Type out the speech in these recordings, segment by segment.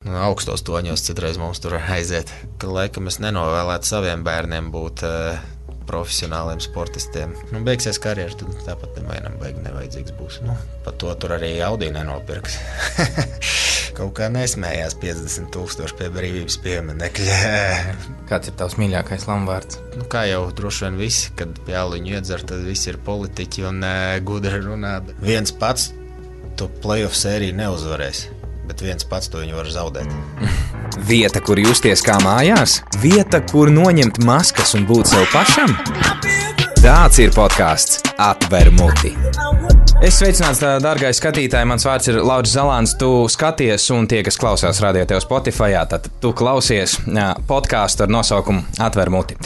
augstos toņos citreiz mums tur aiziet. Ka laikam es nenovēlētu saviem bērniem būt profesionāliem sportistiem. Beigsies karjeras, tad tāpat nevienam nevajadzīgs būs. Par to tur arī Audi nenopirks. Kaut kā nesmējās 50,000 pie brīvības pieminekļa. Kāds ir tavs mīļākais lamvārds? Kā jau droši vien visi, kad pie aliņu iedzer, tad visi ir politiķi un gudri runā. Viens pats tu playoff sēriju neuzvarēs. Bet viens pats to viņu var zaudēt. Vieta, kur justies kā mājās? Vieta, kur noņemt maskas un būt sev pašam? Tāds ir podcasts Atver muti. Es sveicināts, dārgais skatītāji, mans vārds ir Lauris Zalāns, tu skaties un tie, kas klausās radio tev Spotifyā, tad tu klausies podcastu ar nosaukumu Atver muti.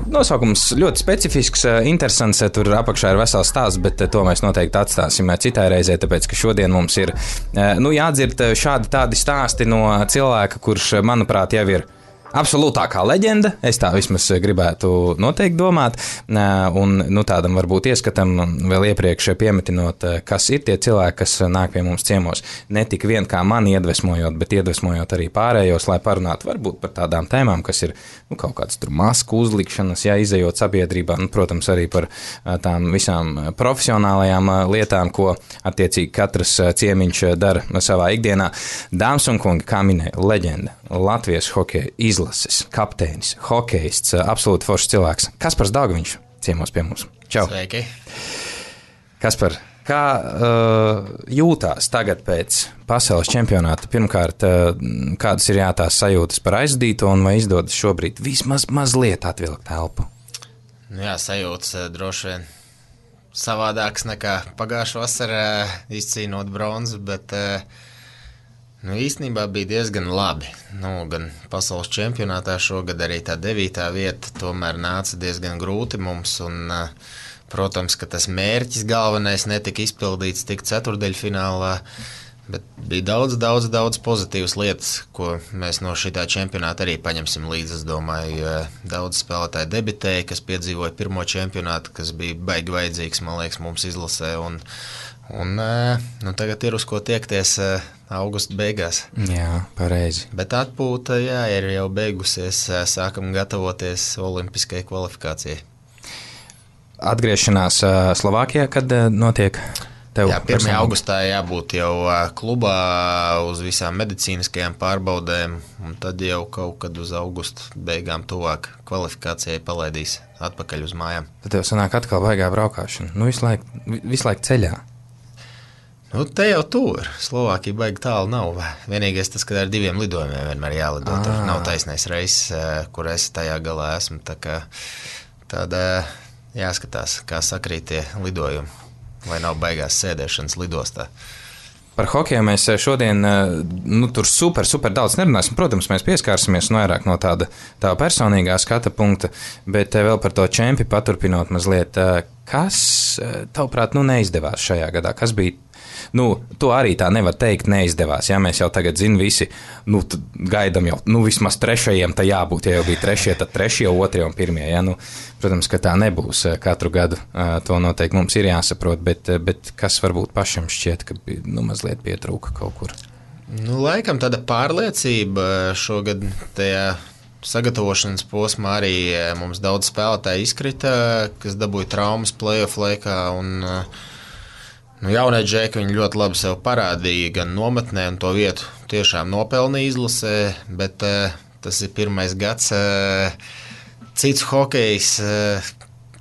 Nosaukums ļoti specifisks, interesants, tur apakšā ir vesels stāsts, bet to mēs noteikti atstāsim citai reizē, tāpēc, ka šodien mums ir jādzird šādi tādi stāsti no cilvēka, kurš, manuprāt, jau ir absolūtākā leģenda, es tā vismaz gribētu noteikti domāt, un tādam varbūt ieskatam vēl iepriekš piemetinot, kas ir tie cilvēki, kas nāk pie mums ciemos, ne tik vien kā mani iedvesmojot, bet iedvesmojot arī pārējos, lai parunātu varbūt par tādām tēmām, kas ir kaut kādas tur masku uzlikšanas, izejot sabiedrībā, protams, arī par tām visām profesionālajām lietām, ko attiecīgi katrs ciemiņš dara savā ikdienā. Dāmas un kungi, kā minēja, leģenda, Latvijas hokeja izlases kapteinis, hokejists, absolūti foršs cilvēks. Kaspars Daugaviņš ciemos pie mums. Čau. Sveiki. Kaspar, kā jūtās tagad pēc pasaules čempionāta? Pirmkārt, kādas ir tās sajūtas par aizdīto un vai izdodas šobrīd vismaz mazliet atvilkt elpu? Jā, sajūtas droši vien savādāks nekā pagājušā vasarā izcīnot bronzu, bet īstenībā bija diezgan labi. Gan pasaules čempionātā šogad arī tā 9. vieta tomēr nāca diezgan grūti mums. Un, protams, ka tas mērķis galvenais netika izpildīts tik ceturdaļfinālā, bet bija daudz pozitīvas lietas, ko mēs no šitā čempionāta arī paņemsim līdzi. Es domāju, daudz spēlētāji debitēja, kas piedzīvoja pirmo čempionātu, kas bija baigi vajadzīgs, man liekas, mums izlasē. Un tagad ir uz ko tiekties augusta beigās. Jā, pareizi. Bet atpūta, ir jau beigusies, sākam gatavoties olimpiskai kvalifikācijai. Atgriešanās Slovākijā, kad notiek tev? Jā, 1. augustā jābūt jau klubā uz visām medicīniskajām pārbaudēm, un tad jau kaut kad uz augusta beigām tuvāk kvalifikācijai palaidīs atpakaļ uz mājām. Tad tev sanāk atkal baigā braukāšana. Visu laiku ceļā. Te jau tur. Slovākija baigi tālu nav. Vienīgais tas, ka ar 2 lidojumiem vienmēr jālido. Tur nav taisnais reizes, kur es tajā galā esmu. Tā kā tāda jāskatās, kā sakrīt tie lidojumi. Vai nav baigās sēdēšanas lidostā. Par hokeju mēs šodien tur super daudz nerunāsim. Protams, mēs pieskārsimies vairāk no tāda personīgā skata punkta, bet vēl par to čempi paturpinot mazliet. Kas, tavuprāt, neizdevās šajā gadā? Kas bija? To arī tā nevar teikt, neizdevās. Ja mēs jau tagad zinām visi, gaidām jau, vismaz 3. tā jābūt. Ja jau bija 3, tad 3, 2 un 1. Ja? Protams, ka tā nebūs katru gadu. To noteikti mums ir jāsaprot, bet kas varbūt pašam šķiet, ka mazliet pietrūka kaut kur? Laikam tāda pārliecība šogad tajā sagatavošanas posmā arī mums daudz spēlētāji izkrita, kas dabūja traumas playoff laikā un jaunie džeki viņi ļoti labi sev parādīja gan nometnē un to vietu tiešām nopelnīja izlasē, bet tas ir 1. gads. Cits hokejs,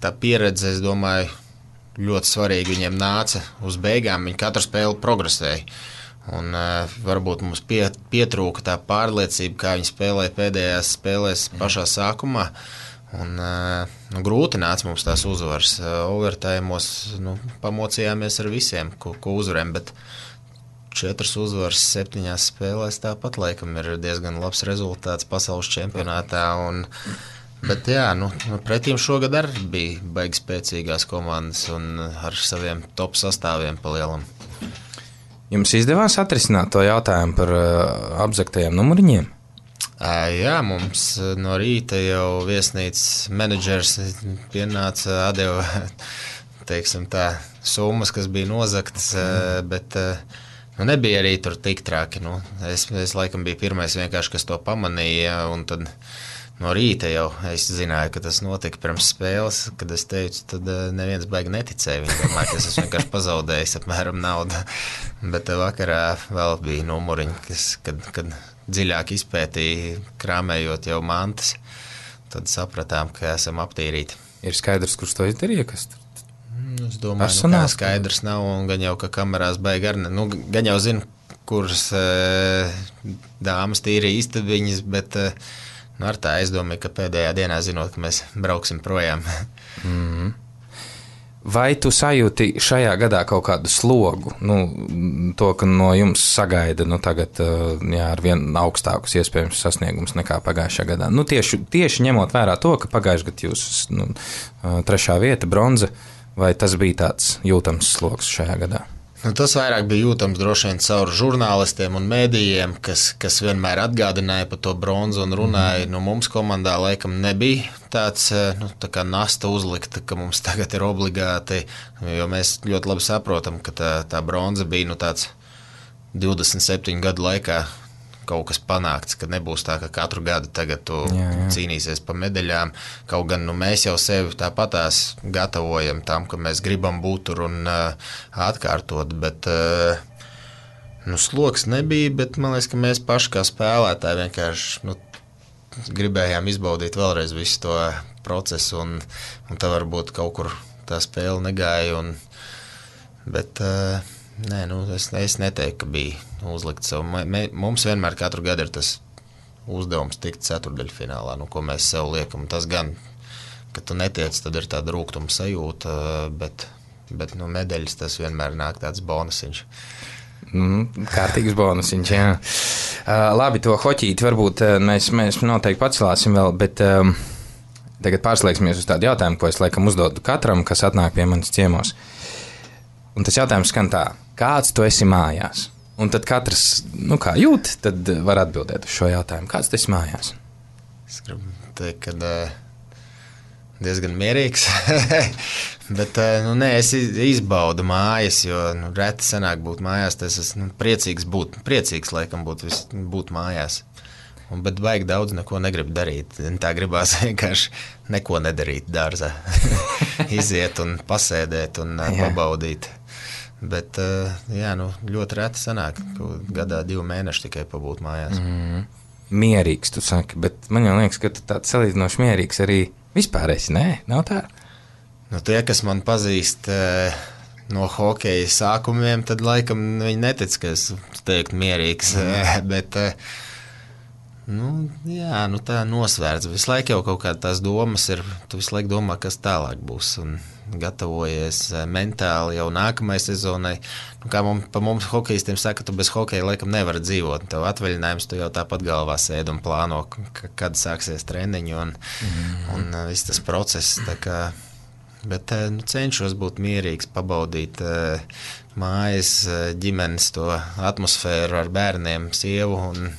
tā pieredze, es domāju, ļoti svarīgi viņiem nāca uz beigām, viņi katru spēli progresēja. Un varbūt mums pietrūka tā pārliecība, kā viņi spēlēja pēdējās spēlēs pašā sākumā. Un, grūti nāca mums tās uzvaras. Overtājumos pamocījāmies ar visiem, ko uzvarējām, bet 4 uzvaras 7 spēlēs tāpat laikam ir diezgan labs rezultāts pasaules čempionātā. Bet pretīm šogad arī bija baigi spēcīgās komandas un ar saviem top sastāviem pa lielam. Jums izdevās atrisināt to jautājumu par apzaktajiem numuriņiem? Jā, mums no rīta jau viesnīcas menedžers pienāca, atdeva, teiksim tā, summas, kas bija nozaktas, bet nebija arī tur tik traki. Es laikam biju pirmais vienkārši, kas to pamanīja, un tad no rīta jau es zināju, ka tas notika pirms spēles, kad es teicu, tad neviens baigi neticēja. Viņi domāja, ka es vienkārši pazaudējis apmēram naudu. Bet vakarā vēl bija numuriņi, kad dziļāk izpētīja, krāmējot jau mantas, tad sapratām, ka esam aptīrīti. Ir skaidrs, kurš to izdarīja, kas tur? Es domāju, ka skaidrs nav, un gan jau, ka kamerās baigi ar gan jau zinu, kuras dāmas tīri istabiņas, bet ar tā es domāju, ka pēdējā dienā zinot, ka mēs brauksim projām. Vai tu sajūti šajā gadā kaut kādu slogu? To, ka no jums sagaida tagad ar vien augstākus iespējams sasniegums nekā pagājušajā gadā. Tieši ņemot vērā to, ka pagājušajā gadā jūs 3. vieta, bronza, vai tas bija tāds jūtams slogs šajā gadā? Tas vairāk bija jūtams droši vien caur žurnālistiem un mēdījiem, kas vienmēr atgādināja par to bronzu un runāja. Mums komandā laikam nebija tāds tā kā nasta uzlikta, ka mums tagad ir obligāti, jo mēs ļoti labi saprotam, ka tā bronza bija tāds 27 gadu laikā kaut kas panākts, ka nebūs tā, ka katru gadu tagad tu cīnīsies pa medaļām. Kaut gan mēs jau sevi tāpatās gatavojam tam, ka mēs gribam būt tur un atkārtot, bet sloks nebija, bet man liekas, ka mēs paši kā spēlētāji vienkārši gribējām izbaudīt vēlreiz visu to procesu, un tā varbūt kaut kur tā spēle negāja, bet nē, es neteiktu, ka bija uzlikt savu. Mums vienmēr katru gadu ir tas uzdevums tikt ceturdaļfinālā, ko mēs sev liekam. Tas gan, ka tu netiec, tad ir tāda rūgtuma sajūta, bet medaļas tas vienmēr nāk tāds bonusiņš. Kārtīgs bonusiņš, jā. Labi, to hoķīti varbūt mēs noteikti pacelāsim vēl, bet tagad pārslēgsimies uz tādu jautājumu, ko es laikam uzdodu katram, kas atnāk pie manis ciemos. Un tas jautājums skan tā, kāds tu esi mājās? Un tad katrs, kā jūt, tad var atbildēt uz šo jautājumu. Kāds tu esi mājās? Es gribu teikt, ka diezgan mierīgs, bet es izbaudu mājas, jo reti sanāk būt mājās, tas esmu priecīgs laikam būt mājās. Bet baigi daudz neko negribu darīt. Tā gribās vienkārši neko nedarīt dārzā. Iziet un pasēdēt un pabaudīt. Bet ļoti reti sanāk, gadā 2 mēneši tikai pabūt mājās. Mierīgs, tu saki, bet man jau liekas, ka tu tāds salīdzinoši mierīgs arī vispār esi, nē? Nav tā? Tie, kas man pazīst no hokeja sākumiem, tad laikam viņi netic, ka es teiktu mierīgs, bet tā nosvērts. Visu laiku jau kaut kāda tās domas ir, tu visu laiku domā, kas tālāk būs, un gatavojies mentāli jau nākamai sezonai. Kā pa mums hokejistiem saka, tu bez hokeja laikam nevar dzīvot. Tev atvaļinājums, tu jau tāpat galvā sēd un plāno, kad sāksies treniņi un viss tas process. Bet cenšos būt mierīgs, pabaudīt mājas, ģimenes to atmosfēru ar bērniem, sievu un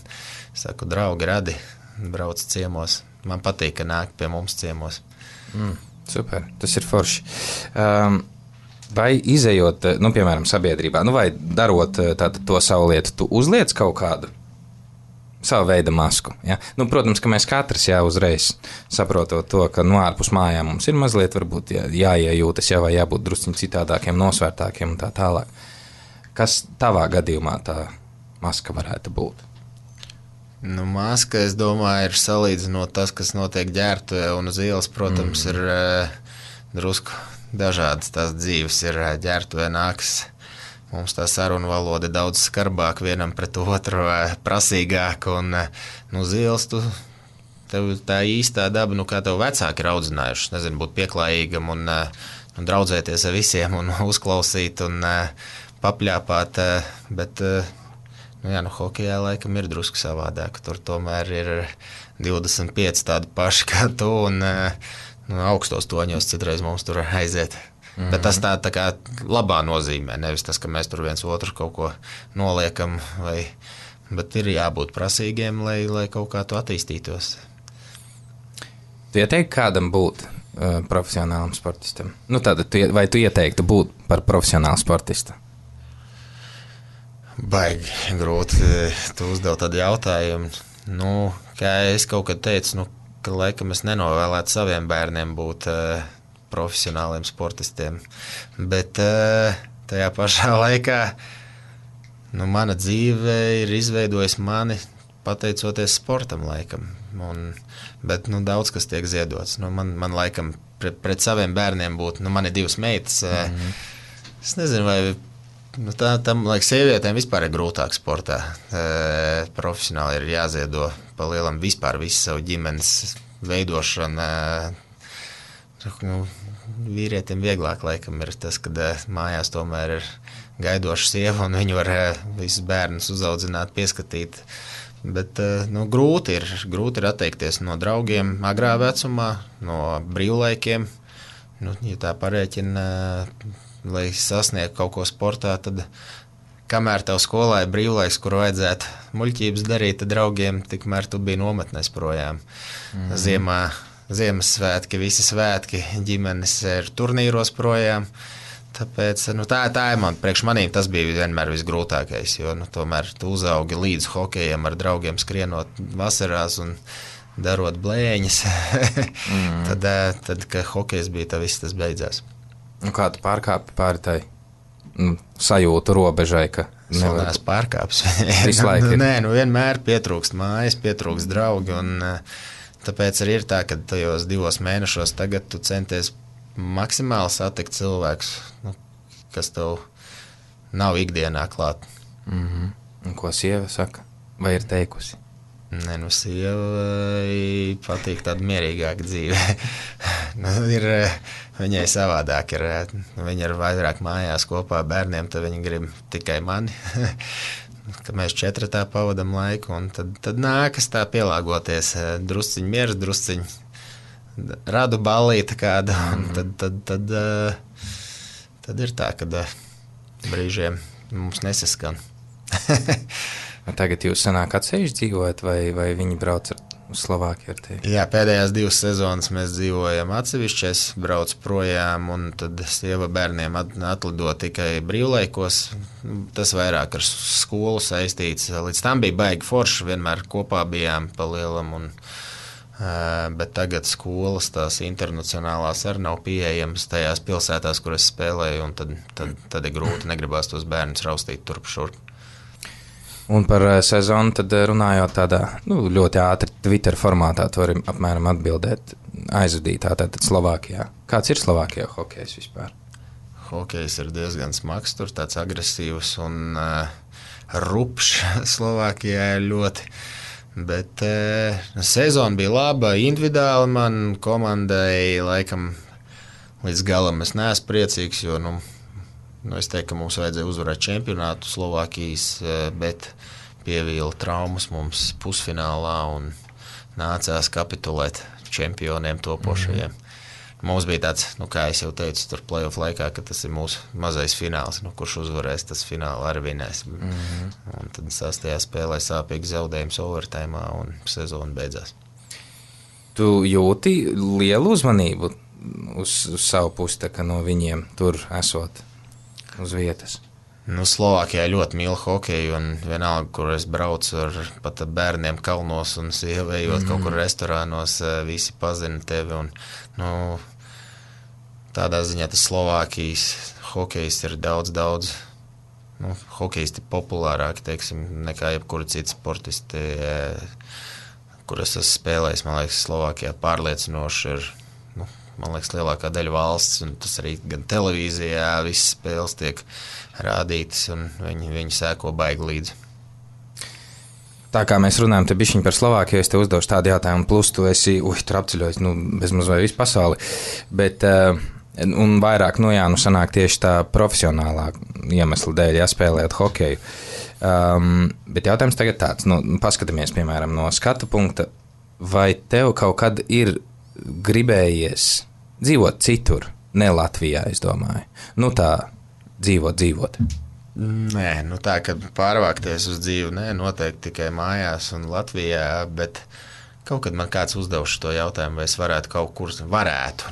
saku, draugi radi, brauc ciemos. Man patīk, ka nāk pie mums ciemos. Super, tas ir forši. Vai izejot, piemēram, sabiedrībā, vai darot to savu lietu, tu uzliec kaut kādu savu veidu masku? Ja? Protams, ka mēs katrs uzreiz saprotot to, ka ārpus mājām mums ir mazliet varbūt jāiejūtas, vai jābūt drusciņ citādākiem, nosvērtākiem un tā tālāk. Kas tavā gadījumā tā maska varētu būt? Maska, es domāju, ir salīdzinot tas, kas notiek ģērbtuvē un uz ielas, protams, ir drusku dažādas tās dzīves. Ir ģērbtuvē nākas, mums tā saruna valoda ir daudz skarbāk vienam pret otru, prasīgāk, un uz ielas tev tā īstā daba, kā tev vecāki ir audzinājuši, nezinu, būt pieklājīgam un draudzēties ar visiem un uzklausīt un papļāpāt, bet hokejā laikam ir drusku savādāk. Tur tomēr ir 25 tādi paši kā tu un augstos toņos citreiz mums tur aiziet. Bet tas tā kā labā nozīmē, nevis tas, ka mēs tur viens otru kaut ko noliekam, bet ir jābūt prasīgiem, lai kaut kā tu attīstītos. Tu ieteiktu kādam būt profesionālam sportistam? Vai tu ieteiktu būt par profesionālu sportistu? Baigi grūti. Tu uzdev tādu jautājumu. Kā es kaut kad teicu, ka laikam es nenovēlētu saviem bērniem būt profesionāliem sportistiem. Bet tajā pašā laikā mana dzīve ir izveidojusi mani pateicoties sportam laikam. Bet daudz kas tiek ziedots. Man laikam pret saviem bērniem būtu, man ir 2 meitas. Es nezinu, vai tam sievietēm vispār ir grūtāk sportā. Profesionāli ir jāziedo pa lielam vispār visu savu ģimenes veidošanu. Vīrietiem vieglāk laikam ir tas, kad mājās tomēr ir gaidoša sieva un viņi var visus bērnus uzaudzināt, pieskatīt. Bet grūti ir atteikties no draugiem agrā vecumā, no brīvlaikiem. Ja tā parēķina, lai sasniegtu kaut ko sportā, tad kamēr tev skolā ir brīvlaiks, kur vajadzētu muļķības darīt, tad draugiem tikmēr tu biji nometnēs projām. Ziemassvētki, visi svētki, ģimenes ir turnīros projām. Tāpēc tā ir priekš manīm tas bija vienmēr visgrūtākais, jo tomēr tu uzaugi līdz hokejam ar draugiem skrienot vasarās un darot blēņas. tad, kad hokejs bija, tad viss tas beidzās. Kā tu pārkāpi pāri tai sajūtu robežai, ka nevar? Es pārkāpis. Visu laiku ir. Nē, vienmēr pietrūkst mājas, pietrūkst draugi, un tāpēc arī ir tā, ka tajos 2 mēnešos tagad tu centies maksimāli satikt cilvēkus, kas tev nav ikdienā klāt. Un ko sieva saka? Vai ir teikusi? Nē, sievai patīk tāda mierīgāka dzīve. Viņai savādāk ir. Viņa ir vairāk mājās kopā ar bērniem, tad viņi grib tikai mani. Kad mēs 4 pavadam laiku, un tad nākas tā pielāgoties. Drusciņ miers, drusciņ radu ballīti kādu, un tad ir tā, ka brīžiem mums nesaskan. Tagad jūs sanāk atsevišķi dzīvojat, vai viņi brauc uz Slovākiju ar tevi? Jā, pēdējās 2 sezonas mēs dzīvojam atsevišķi, es braucu projām, un tad sieva bērniem atlido tikai brīvlaikos. Tas vairāk ar skolu saistīts. Līdz tam bija baigi forši, vienmēr kopā bijām pa lielam, bet tagad skolas, tās internacionālās arī nav pieejamas tajās pilsētās, kur es spēlēju, un tad ir grūti, negribās tos bērnus raustīt turp šurp. Un par sezonu tad runājot tādā ļoti ātri Twitter formātā, tu vari apmēram atbildēt aizvadītā, tātad Slovākijā. Kāds ir Slovākijā hokejs vispār? Hokejs ir diezgan smags, tur tāds agresīvs un rupšs Slovākijā ir ļoti. Bet sezona bija laba, individuāli man komandai laikam līdz galam es neesmu priecīgs, jo es teiktu, ka mums vajadzēja uzvarēt čempionātu Slovākijas, bet pievīla traumas mums pusfinālā un nācās kapitulēt čempioniem topošajiem. Mums bija tāds, kā es jau teicu, tur playoff laikā, ka tas ir mūsu mazais fināls, kurš uzvarēs, tas fināli arī vinēs. Un tad 6. spēlē sāpīgi zaudējums overtājumā un sezona beidzās. Tu jūti lielu uzmanību uz savu pusi, ka no viņiem tur esot uz vietas? Slovākijā ļoti mīlu hokeju, un vienalga, kur es braucu ar pat bērniem kalnos un sievējot kaut kur restorānos, visi pazina tevi. Un, tādā ziņā tas Slovākijas hokejs ir daudz hokejisti populārāki, teiksim, nekā jebkura cita sportisti, kur es esmu spēlējis. Man liekas, Slovākijā pārliecinoši ir, man liekas, lielākā daļa valsts, un tas arī gan televīzijā visas spēles tiek rādītas, un viņi sēko baigi līdzi. Tā kā mēs runājam te bišķiņ par Slovākiju, es te uzdošu tādu jautājumu, plus tu esi, tur apceļojis, bezmaz vai visu pasauli, bet, un vairāk, sanāk tieši tā profesionālā iemesla dēļ, spēlējot hokeju. Bet jautājums tagad tāds, paskatāmies, piemēram, no skatu punkta, vai tev kaut kad ir gribējies dzīvot citur, ne Latvijā, es domāju, tā dzīvot? Nē, tā, kad pārvākties uz dzīvi, noteikti tikai mājās un Latvijā, bet kaut kad man kāds uzdevuši to jautājumu, vai es varētu kaut kur varētu.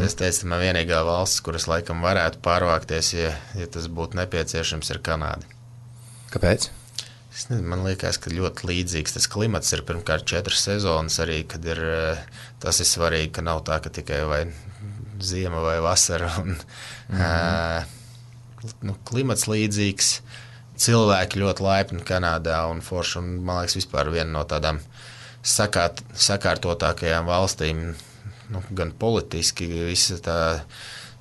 Es teicu, man vienīgā valsts, kuras laikam varētu pārvākties, ja tas būtu nepieciešams, ir Kanāda. Kāpēc? Es nezinu, man liekas, ka ļoti līdzīgs tas klimats ir pirmkārt 4 sezonas arī, kad tas ir svarīgi, ka nav tā, ka tikai vai ziema vai vasara. Klimats līdzīgs, cilvēki ļoti laipni Kanādā un forši, un man liekas vispār viena no tādām sakārtotākajām valstīm, gan politiski, visa tā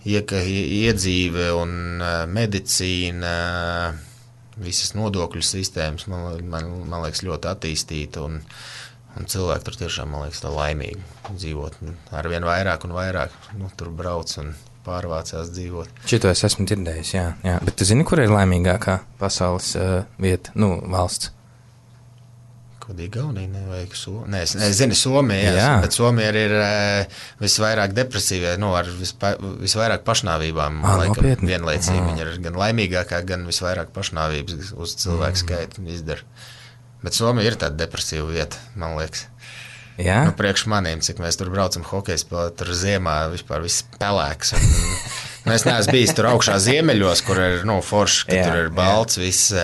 iedzīve un medicīna, visas nodokļu sistēmas, man liekas, ļoti attīstīta, un cilvēki tur tiešām, man liekas, tā laimīgi dzīvot. Ar vien vairāk un vairāk tur brauc un pārvācās dzīvot. Šito es esmu dzirdējis, jā. Bet tu zini, kur ir laimīgākā pasaules vieta, valsts? Kaut Igaunija, nevajag Somija. Es zinu Somija, bet Somija ir visvairāk depresīvie, ar visvairāk pašnāvībām. Laikam, vienlaicīgi viņa ir gan laimīgākā, gan visvairāk pašnāvības uz cilvēku skaitu izdara. Bet Somija ir tāda depresīva vieta, man liekas. Jā? Priekš maniem, cik mēs tur braucam hokeja spēlēt, tur ziemā vispār viss pelēks. Es neesmu bijis tur augšā ziemeļos, kur ir forši, ka tur ir balts viss.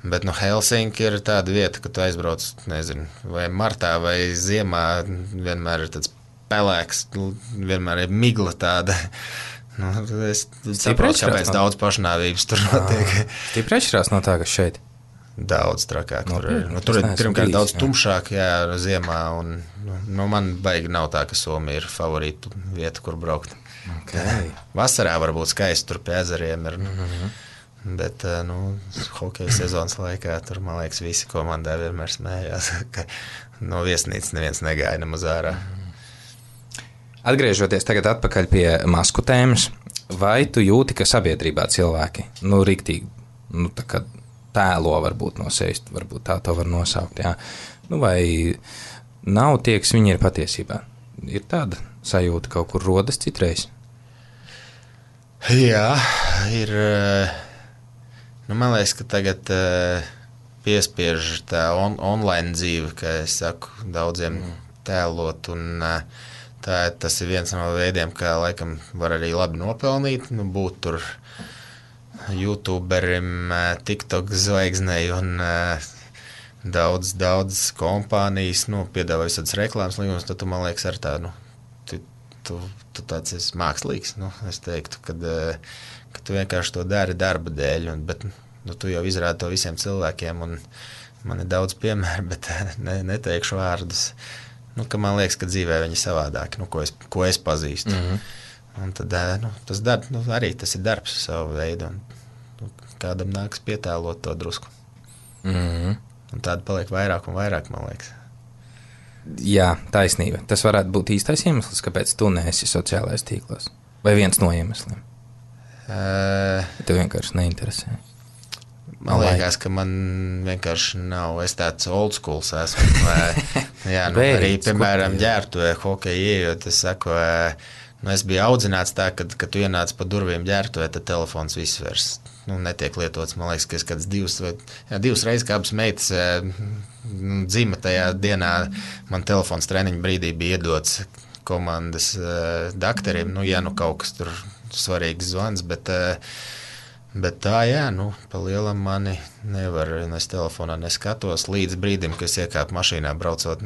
Bet Helsinki ir tāda vieta, ka tu aizbrauc, nezinu, vai martā vai ziemā, vienmēr ir tāds pelēks, vienmēr ir migla tāda. Es saprotu, kāpēc daudz pašnāvības tur notiek. Stipri atšķirās no tā, kas šeit? Daudz trakāk. Tur ir pirmkārt daudz tumšāk, ziemā, un man baigi nav tā, ka Somija ir favorīta vieta, kur braukt. Okay. Vasarā varbūt skaisti tur pie ezeriem ir. Bet hokeja sezonas laikā tur, man liekas, visi komandā vienmēr smējās, ka no viesnīcas neviens negāja nemaz ārā. Atgriežoties tagad atpakaļ pie masku tēmas, vai tu jūti, ka sabiedrībā cilvēki, riktīgi, tā kā tēlo varbūt no sevis, varbūt tā to var nosaukt, jā. Vai nav tie, kas viņi ir patiesībā? Ir tāda sajūta kaut kur rodas citreiz? Jā, ir... man liekas, ka tagad piespiež tā online dzīve, ka es saku daudziem tēlot, un tas ir viens no veidiem, kā laikam var arī labi nopelnīt, būt tur YouTuberim, TikTok zvaigznei un daudz kompānijas, piedāvā visādas reklāmas līgumus, tad tu, man liekas, ar tā, tu tāds esi mākslīgs, es teiktu, ka tu vienkārši to dari darba dēļ, bet tu jau izrādi to visiem cilvēkiem, un man ir daudz piemēru, bet neteikšu vārdus, ka man liekas, ka dzīvē viņi savādāki, ko es pazīstu. Un tad arī tas ir darbs savu veidu, un kādam nāks pietēlot to drusku. Un tāda paliek vairāk un vairāk, man liekas. Jā, taisnība. Tas varētu būt īstais iemesls, kāpēc tu neesi sociālais tīklos. Vai viens no iemesliem? Tev vienkārši neinteresē. Man liekas, ka man vienkārši nav. Es tāds old schools esmu. Arī, piemēram, ģērbtuvē hokeja ieejot, es saku, es biju audzināts tā, kad tu ienāc pa durvīm ģērbtuvē, tad telefons viss vairs netiek lietots. Man liekas, ka es kāds divas reizes kā abas meitas dzima tajā dienā, man telefons treniņu brīdī bija iedots komandas dakterim, kaut kas tur svarīgs zvans, bet tā, pa lielam mani nevar, es telefonā neskatos līdz brīdim, kad es iekāpu mašīnā braucot,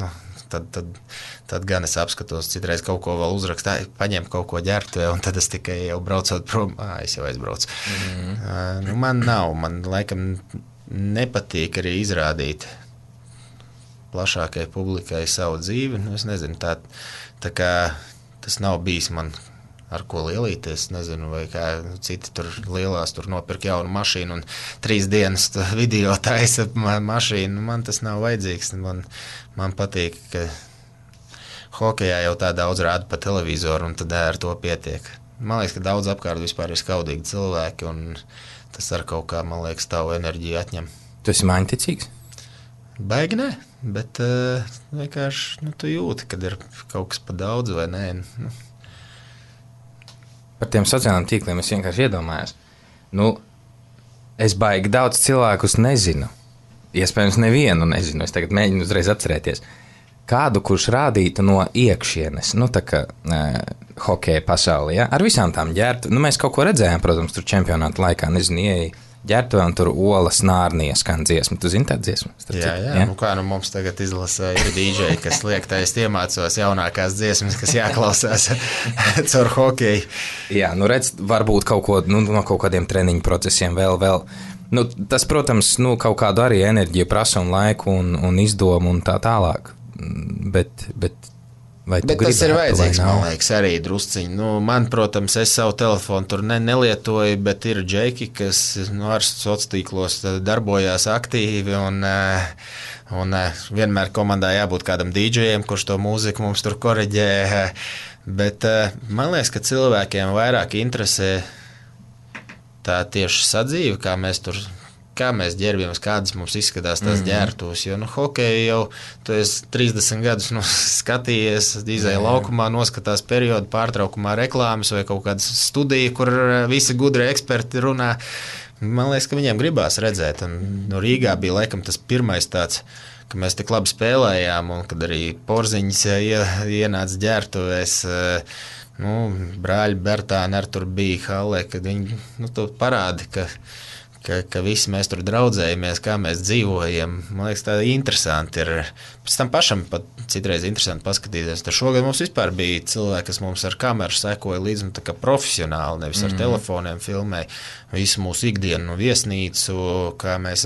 tad gan es apskatos, citreiz kaut ko vēl uzrakstā, paņem kaut ko ģērbtuvē, un tad es tikai jau braucot prom, es jau aizbraucu. Man laikam nepatīk arī izrādīt plašākai publikai savu dzīvi, es nezinu, tā kā tas nav bijis man ar ko lielīties, nezinu, vai kā citi tur lielās tur nopirk jaunu mašīnu un 3 dienas video taisa mašīnu, man tas nav vajadzīgs, man patīk, ka hokejā jau tā daudz rāda pa televizoru un tad ar to pietiek. Man liekas, ka daudz apkārt vispār ir skaudīgi cilvēki un tas ar kaut kā, man liekas, tavu enerģiju atņem. Tu esi māņticīgs? Baigi ne, bet vienkārši tu jūti, kad ir kaut kas pa daudz vai nē. Par tiem sociālajiem tīkliem es vienkārši iedomājos. Es baigi daudz cilvēkus nezinu. Iespējams, nevienu nezinu. Es tagad mēģinu uzreiz atcerēties. Kādu, kurš rādītu no iekšienes, tā kā hokeja pasaulē, ar visām tām ģērbtu. Mēs kaut ko redzējām, protams, tur čempionāta laikā, nezinu, ieeja ģērbtuvē, un tur Olas Nārnija skan dziesma. Tu zini tādu dziesmu? Jā. Nu kā, mums tagad izlasa ir DJ, kas liek, tā es iemācos jaunākās dziesmas, kas jāklausās caur hokeju. Jā, nu redz, varbūt kaut ko, no kaut kādiem treniņu procesiem vēl. Nu, tas, protams, kaut kādu arī enerģiju prasa un laiku un izdomu un tā tālāk. Bet tas ir vajadzīgs, man liekas, arī drusciņi. Nu, man, protams, es savu telefonu tur nelietoju, bet ir džeki, kas ar sociālos tīklos darbojās aktīvi un vienmēr komandā jābūt kādam DJiem, kurš to mūziku mums tur koreģē. Bet man liekas, ka cilvēkiem vairāk interesē tā tieši sadzīve, kā mēs ģērbjamies, kādas mums izskatās tās ģērbtuves. Jo hokeju jau tu esi 30 gadus skatījies, izēja laukumā, noskatās periodu pārtraukumā reklāmas vai kaut kādas studija, kur visi gudri eksperti runā. Man liekas, ka viņiem gribās redzēt. Un Rīgā bija laikam tas pirmais tāds, ka mēs tik labi spēlējām, un kad arī porziņas ienāca ģērbtuvēs, brāļi Bertāni ar tur bija hallē, kad viņi to parādi, ka visi mēs tur draudzējamies, kā mēs dzīvojam. Man liekas, tā interesanti ir. Pēc tam pašam pat citreiz interesanti paskatīties. Tur šogad mums vispār bija cilvēki, kas mums ar kameru sekoja līdzi, tā kā profesionāli, nevis ar telefoniem filmēja visu mūsu ikdienu, viesnīcu, kā mēs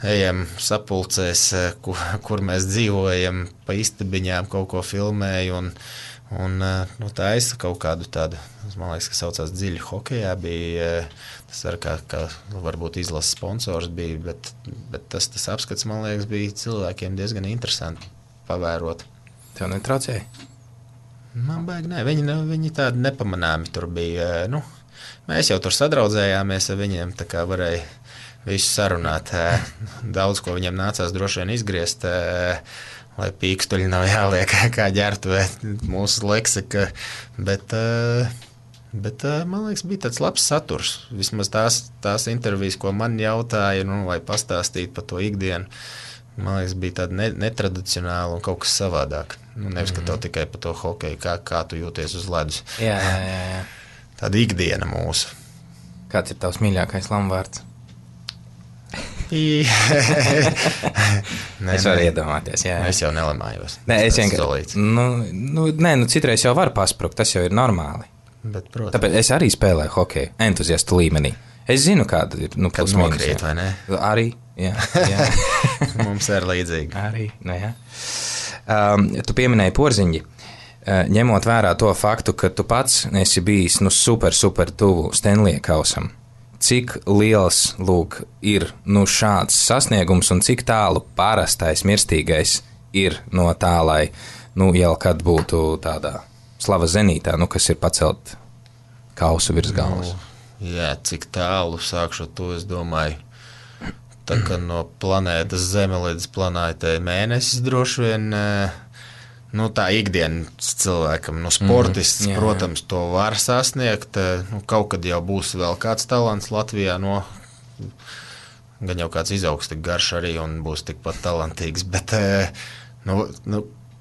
ejam sapulcēs, kur mēs dzīvojam, pa istabiņām kaut ko filmēju un taisa kaut kādu tādu, man liekas, ka saucās dziļi hokejā, bija tas ar kā varbūt izlases sponsors bija, bet tas apskats, man liekas, bija cilvēkiem diezgan interesanti pavērot. Tev netraucēja? Man baigi, nē, viņi tādi nepamanāmi tur bija, mēs jau tur sadraudzējāmies ar viņiem, tā kā varēja visu sarunāt, daudz ko viņiem nācās droši vien izgriezt, lai pīkstuļi nav jāliek kā ģērbtuvē mūsu leksika, bet man liekas, bija tāds labs saturs. Vismaz tās intervijas, ko man jautāja, lai pastāstītu par to ikdienu, man liekas, bija tāda netradicionāla un kaut kas savādāk. Nevis, ka tev tikai par to hokeju, kā tu jūties uz ledus. Jā. Tāda ikdiena mūsu. Kāds ir tavs mīļākais lamvārds? Es varu iedomāties, jā. Es jau nelamājos. Nē, es vienkārši. Citreiz jau var pasprukt, tas jau ir normāli. Bet, protams. Tāpēc es arī spēlēju hokeju entuziastu līmenī. Es zinu, kāda ir plus mīnus. Nokrīt, vai ne? Arī, jā. Mums ir līdzīgi. Arī, jā. Tu pieminēji porziņģi. Ņemot vērā to faktu, ka tu pats esi bijis super tuvu Stenlija kausam. Cik liels, ir šāds sasniegums un cik tālu parastais mirstīgais ir no tā, lai, jau kad būtu tādā slavas zenītā, kas ir pacelt kausu virs galvas? Jā, cik tālu sākšu to, es domāju, tā kā no planētas Zeme līdz planētai Mēnesis droši vien, tā ikdienas cilvēkam, sportists, protams, to var sasniegt. Kaut kad jau būs vēl kāds talants Latvijā, gan jau kāds izaugs tik garš arī un būs tikpat talantīgs, bet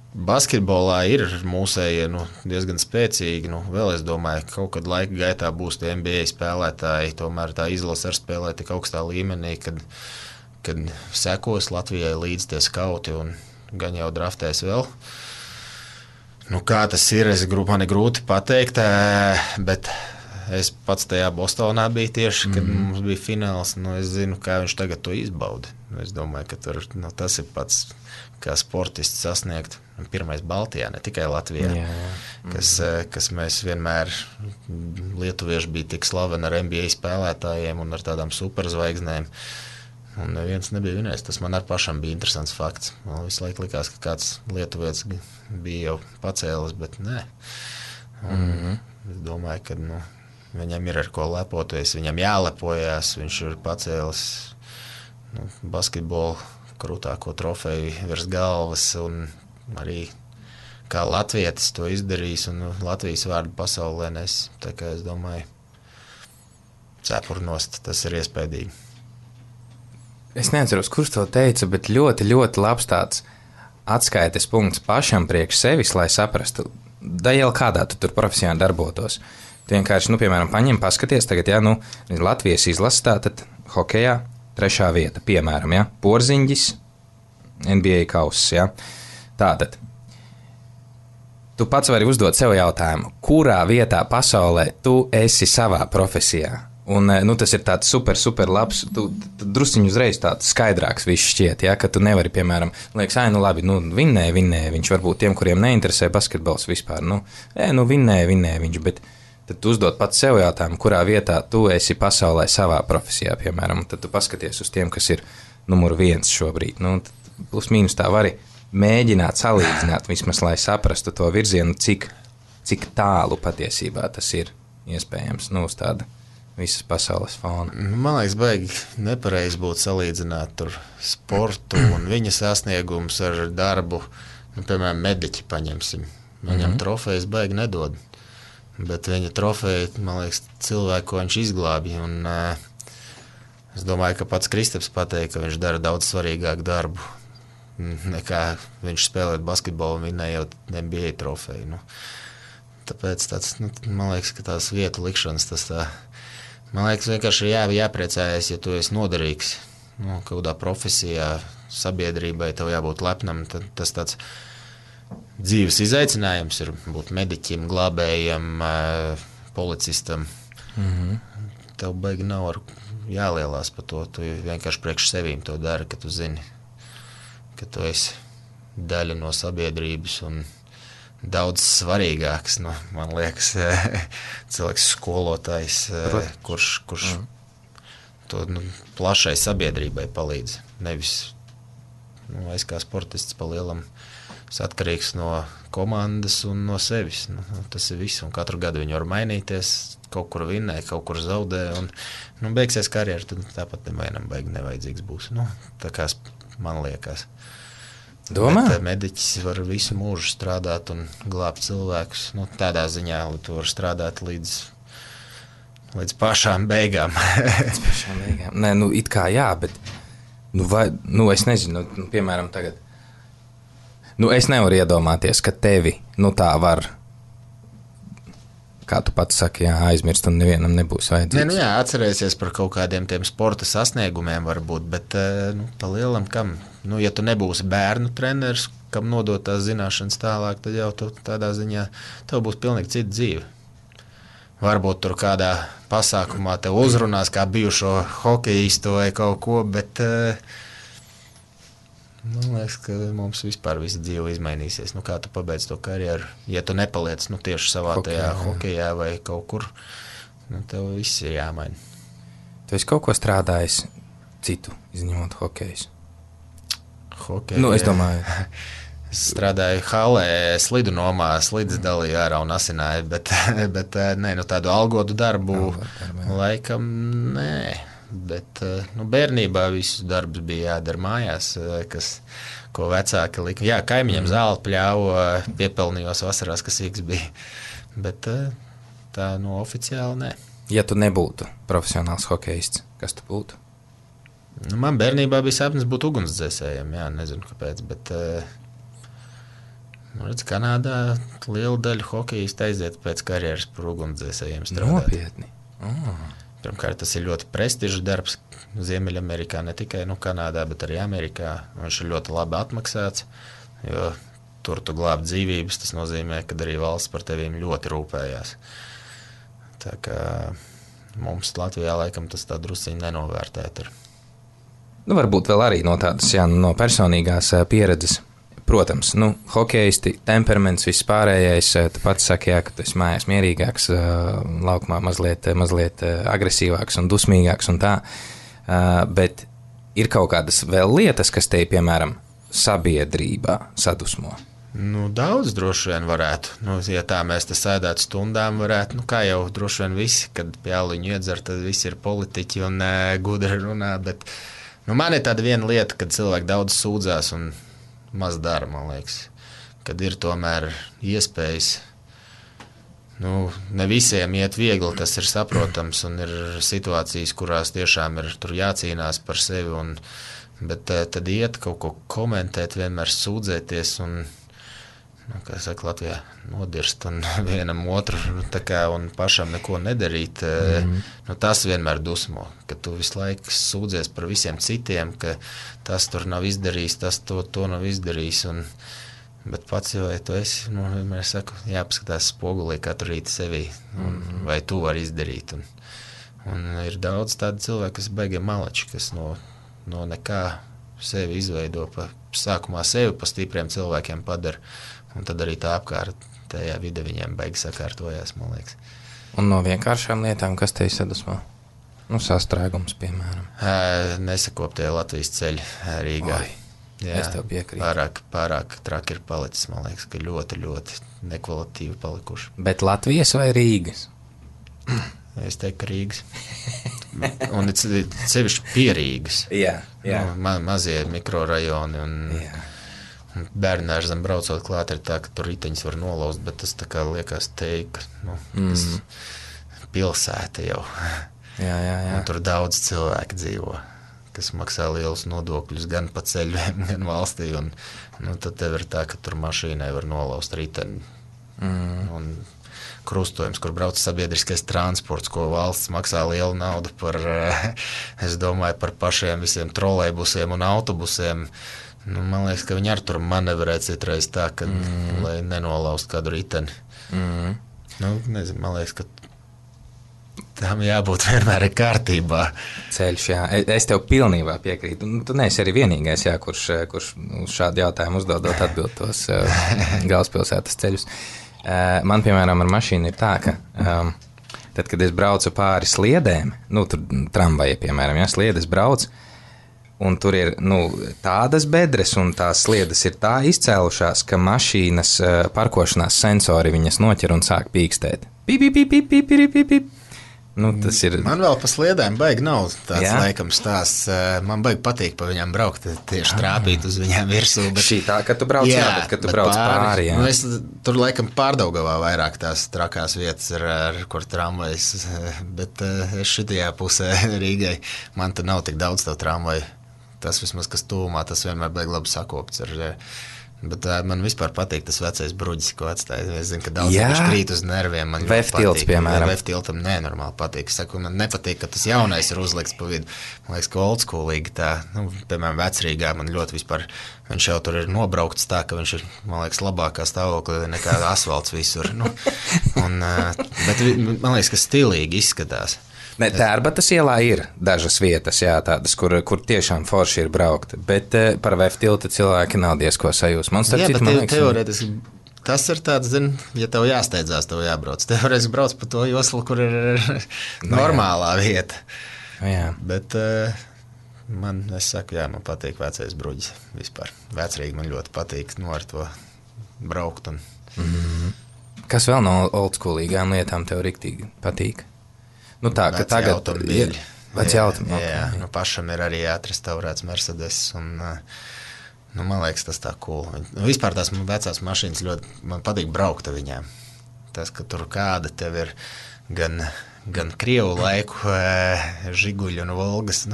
basketbolā ir mūsējie diezgan spēcīgi. Vēl es domāju, ka kaut kad laika gaitā būs tie NBA spēlētāji, tomēr tā izlase ar spēlē tik augstā līmenī, kad sekos Latvijai līdz tie skauti un gan jau draftēs vēl. Kā tas ir, man ir grūti pateikt, bet es pats tajā Bostonā biju tieši, kad mums bija fināls. Es zinu, kā viņš tagad to izbauda. Es domāju, ka tas ir pats, kā sportists sasniegt. Pirmais Baltijā, ne tikai Latvijā, kas mēs vienmēr, lietuvieši bija tik slaveni ar NBA spēlētājiem un ar tādām superzvaigznēm. Un neviens nebija vinējis. Tas man ar pašam bija interesants fakts. Man visu laiku likās, ka kāds lietuvietis bija jau pacēlis, bet nē. Es domāju, ka viņam ir ar ko lepoties, viņam jālepojās, viņš ir pacēlis basketbolu krūtāko trofeju virs galvas un arī kā latvietis to izdarījis un Latvijas vārdu pasaulē nes. Tā kā es domāju, cepurnost, tas ir iespējīgi. Es neatceros, kurš to teica, bet ļoti, ļoti labs tāds atskaites punkts pašam priekš sevis, lai saprastu, da jau kādā tu tur profesionāli darbotos, Tu vienkārši, piemēram, paņem, paskaties, tagad, Latvijas izlasa tātad hokejā 3. vieta, piemēram, Porziņģis, NBA kauss, Tātad, tu pats vari uzdot sev jautājumu, kurā vietā pasaulē tu esi savā profesijā? Un, tas ir tāds super labs, tu drusciņu uzreiz tāds skaidrāks viss šķiet, ka tu nevari, piemēram, liekas, labi, vinnēja viņš, varbūt tiem, kuriem neinteresē basketbols vispār, vinnēja viņš, bet tad tu uzdot pats sev jautājumu, kurā vietā tu esi pasaulē savā profesijā, piemēram, tad tu paskaties uz tiem, kas ir numur 1 šobrīd, plus mīnus tā vari mēģināt salīdzināt, vismaz, lai saprastu to virzienu, cik tālu patiesībā tas ir iespējams, uz tāda visas pasaules fona. Man liekas, baigi nepareizi būtu salīdzināt tur sportu un viņa sasniegumus ar darbu. Piemēram, mediķi paņemsim. Viņam trofejas baigi nedod. Bet viņa trofeja, man liekas, cilvēku, ko viņš izglābja. Un es domāju, ka pats Kristaps pateica, ka viņš dara daudz svarīgāku darbu nekā viņš spēlēt basketbolu un vinnējot NBA trofeju. Tāpēc man liekas, ka tās vietu likšanas tas tā. Man liekas, vienkārši jāpriecājas, ja tu esi noderīgs. Kādā profesijā, sabiedrībai tev jābūt lepnam. Tas tāds dzīves izaicinājums ir būt mediķim, glābējam, policistam. Tev baigi nav jālielās par to. Tu vienkārši priekš sevīm to dari, ka tu zini, ka tu esi daļa no sabiedrības un daudz svarīgāks, man liekas, cilvēks skolotājs, kurš to plašai sabiedrībai palīdz. Nevis, es kā sportists pa lielam atkarīgs no komandas un no sevis. Tas ir viss, un katru gadu viņi var mainīties, kaut kur vinnē, kaut kur zaudē, un beigsies karjeru, tad tāpat nevienam baigi nevajadzīgs būs. Tā kā man liekas. Domā? Bet mediķis var visu mūžu strādāt un glābt cilvēkus. Tādā ziņā, lai tu vari strādāt līdz pašām beigām. Līdz pašām beigām. Nē, it kā jā, bet es nezinu, piemēram, tagad. Es nevaru iedomāties, ka tevi, tā var, kā tu pats saki, aizmirst un nevienam nebūs vajadzīgs. Atcerēsies par kaut kādiem tiem sporta sasniegumiem varbūt, bet pa lielam kam? Ja tu nebūsi bērnu treneris, kam nodot tās zināšanas tālāk, tad jau tādā ziņā tev būs pilnīgi cita dzīve. Varbūt tur kādā pasākumā tev uzrunās kā bijušo hokejistu vai kaut ko, bet man liekas, ka mums vispār visa dzīve izmainīsies. Kā tu pabeidz to karjeru, ja tu nepaliec tieši savā tajā hokejā vai kaut kur, tev viss ir jāmaina. Tu esi kaut ko strādājis citu, izņemot hokejus? Hokeju, es domāju. Es strādāju halē, slidu nomā, slidas dalīju ārā un asināju, bet tādu algotu darbu laikam nē. Bet bērnībā visus darbus bija jādara mājās, ko vecāki lika. Jā, kaimiņiem zāli pļāva, piepelnījos vasarās, kas īks bija. Bet tā oficiāli nē. Ja tu nebūtu profesionāls hokejists, kas tu būtu? Man bērnībā bija sapnis būt ugunsdzēsējiem, nezinu kāpēc, bet redz, Kanādā liela daļa hokejistu aiziet pēc karjeras par ugunsdzēsējiem strādāt. Nopietni? Pirmkārt, tas ir ļoti prestižs darbs Ziemeļamerikā, ne tikai Kanādā, bet arī Amerikā. Viņš ir ļoti labi atmaksāts, jo tur tu glāb dzīvības, tas nozīmē, ka arī valsts par tevīm ļoti rūpējās. Tā kā mums Latvijā laikam tas tā drusciņi nenovērtēt ir. Varbūt vēl arī no tādas, no personīgās pieredzes. Protams, hokejisti, temperaments, viss pārējais, tu pats saki, ka tu esi mājās mierīgāks, laukumā mazliet agresīvāks un dusmīgāks un tā, bet ir kaut kādas vēl lietas, kas te, piemēram, sabiedrībā sadusmo. Daudz droši vien varētu. Ja tā mēs te sēdētu stundām varētu, kā jau droši vien visi, kad pie aliņu iedzer, tad visi ir politiķi un gudri runā, bet man ir tāda viena lieta, kad cilvēki daudz sūdzās un maz dara, man liekas, kad ir tomēr iespējas. Ne visiem iet viegli, tas ir saprotams, un ir situācijas, kurās tiešām ir tur jācīnās par sevi, bet tad iet kaut ko komentēt, vienmēr sūdzēties, un kā saka, Latvijā nodirst un vienam otru tā kā un pašam neko nedarīt, tas vienmēr dusmo, ka tu visu laiku sūdzies par visiem citiem, ka tas tur nav izdarījis, tas to nav izdarījis, bet pats jau, ja tu esi, vienmēr saku, jāpaskatās spogulī katru rītu sevī, vai tu vari izdarīt, un ir daudz tādu cilvēku, kas baigi malači, kas no nekā sevi izveido sākumā sevi pa stipriem cilvēkiem padara, un tad arī tā apkārtējā vide viņiem baigi sakārtojās, man liekas. Un no vienkāršām lietām, kas tevi sadusmo? Sastrēgums, piemēram. Nesakoptie Latvijas ceļi Rīgā. Jā, es tev piekrītu. Pārāk traki ir palicis, man liekas, ka ļoti, ļoti nekvalitīvi palikuši. Bet Latvijas vai Rīgas? Es teiktu, ka Rīgas. Un sevišķi pie Rīgas. Jā. Mazie mikrorajoni un bērnērzam braucot klāt ir tā, ka tur riteņus var nolauzt, bet tas tā kā liekas teika, tas pilsēta jau. Jā. Un tur daudz cilvēku dzīvo, kas maksā lielus nodokļus gan pa ceļiem, gan valstī, un tad tev ir tā, ka tur mašīnai var nolauzt riteni. Un krustojums, kur brauc sabiedriskais transports, ko valsts maksā lielu naudu par, es domāju, par pašiem visiem trolejbusiem un autobusiem. Man liekas, ka viņi ar tur manevrē citreiz tā, ka, lai nenolaust kādu riteni. Nezinu, man liekas, ka tam jābūt vienmēr kārtībā. Ceļš, jā. Es tev pilnībā piekrītu. Tu neesi arī vienīgais, jā, kurš uz šādu jautājumu uzdodot atbild tos galvaspilsētas ceļus. Man, piemēram, ar mašīnu ir tā, ka tad, kad es braucu pāri sliedēm, tur tramvaja, piemēram, sliedes brauc, un tur ir tādas bedres, un tās sliedes ir tā izcēlušās, ka mašīnas parkošanās sensori viņas noķer un sāk pīkstēt. Pip. Tas ir... Man vēl pa sliedēm baigi nav tāds laikam stāsts. Man baigi patīk pa viņām braukt, tieši trāpīt uz viņām virsū. Bet... Šī tā, ka tu brauc, bet kad tu brauc pāri. Es tur laikam Pārdaugavā vairāk tās trakās vietas ir, kur tramvajas, bet es šitajā pusē Rīgai, man te nav tik daudz tev tramvaju. Tas vismaz, kas tūmā, tas vienmēr baigi labi sakopts ir. Bet man vispār patīk tas vecais bruģis, ko atstāja. Es zinu, ka daudz viņš krīt uz nerviem. Man Veftilts, piemēram. Veftiltam nenormāli patīk. Saku, man nepatīk, ka tas jaunais ir uzlikts pa vidu. Man liekas, ka oldschoolīgi tā, piemēram, Vecrīgā man ļoti vispār, viņš jau tur ir nobraukts tā, ka viņš ir, man liekas, labākā stāvoklī nekā asfalts visur. Bet man liekas, ka stilīgi izskatās. Tērbatas ielā ir dažas vietas, tādas, kur tiešām forši ir braukt, bet par Veftiltu cilvēki nav diezko sajūs. Teorētiski tas ir tāds, ja tev jāsteidzās, tev jābrauc. Teorētiski brauc pa to joslu, kur ir normālā vieta. Jā. Bet man patīk vecais bruģis vispār. Vecrīgi man ļoti patīk ar to braukt. Kas vēl no oldschoolīgām lietām tev riktīgi patīk? Tā, ka tagad automobīļi. Veci automobīļi. Jā, pašam ir arī atrestaurēts Mercedes, un man liekas, tas tā cool. Vispār tās vecās mašīnas ļoti, man patīk braukt ar viņām. Tas, ka tur kāda tev ir gan Krievu laiku Žiguļi un Volgas,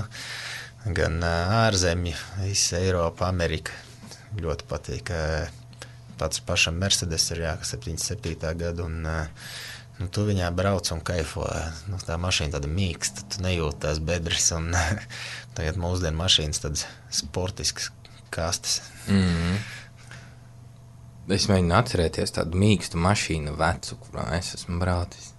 gan ārzemju, visa Eiropa, Amerika. Ļoti patīk. Pats pašam Mercedes ir 77. gada, un tu viņā brauc un kaifo. Tā mašīna tāda mīksta, tu nejūti tās bedres, un tagad mūsdienu mašīnas tādas sportiskas kastes. Es mēģinu atcerēties tādu mīkstu mašīnu vecu, kurā es esmu braucis.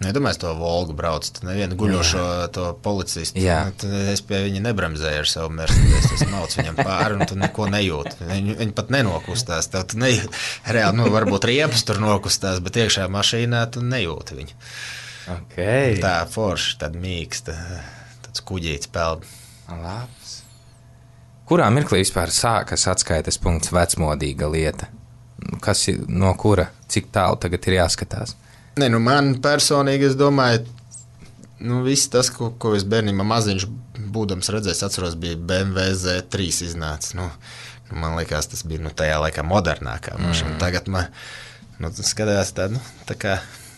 Nedomāju, to Volgu brauc, tu nevienu guļošo to policistu. Es pie viņa nebremzēju ar savu Mercedes, es maucu viņam pāri, un tu neko nejūti. Viņi pat nenokustās, tev tu nejūti. Reāli, varbūt riepas tur nokustās, bet iekšā mašīnā tu nejūti viņu. Okay. Tā forši, tāda mīksta, tāds kuģīts peld. Labs. Kurā mirklī vispār sākas atskaites punkts vecmodīga lieta? Kas ir, no kura, cik tālu tagad ir jāskatās? Man personīgi, es domāju, viss tas, ko es bērnībā maziņš būdams redzējis, atceros, bija BMW Z3 iznācis. Man liekas, tas bija tajā laikā modernākā mašīna. Tagad man skatās tā kā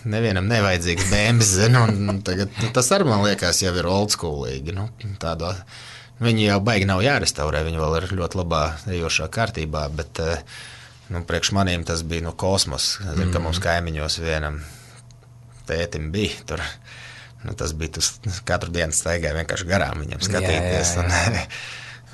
nevienam nevajadzīgs BMW, un tagad tas arī man liekas jau ir oldschoolīgi. Viņi jau baigi nav jārestaurē, viņi vēl ir ļoti labā ejošā kārtībā, bet Priekš manīm tas bija kosmos. Zinu, ka mums kaimiņos vienam tētim bija tur. Tas bija katru dienu staigāja vienkārši garām viņam skatīties.